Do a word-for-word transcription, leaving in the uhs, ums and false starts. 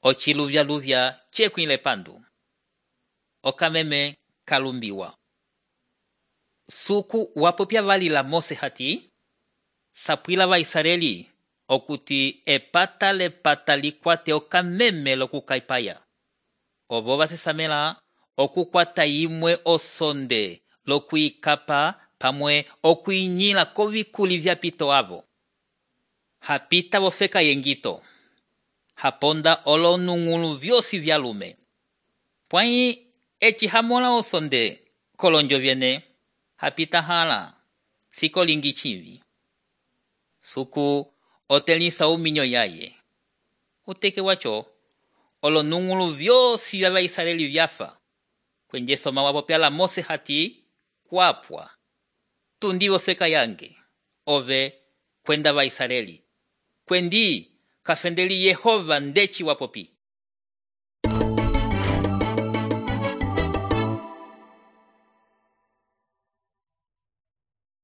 ociluvya-luvya cekwile pandu. Okameme kalumbiwa. Suku wapopya valila Mose hati, sapwila Vaisraeli okuti epata lepata likwate okameme lokukaipaya. Ovo vasesamela okukwata imwe osonde lokuikapa pamwe okuinyila kovikuli vyapito avo. Hapita vofeka yengito. Haponda olonungulu vyosi vyalume. Pwai eci hamola osonde kolonjo vyene. Hapita hala sikolingi chivi. Suku otelisa uminyo yaye. Uteke wacho olonungulu vyosi vya Vaisraeli vyafa. Kwenye soma wapopyala Mose hati kwapwa. Tundi ofeka yange. Ove kwenda Vaisraeli. Kwendi kafendeli Yehova ndechi wapopi.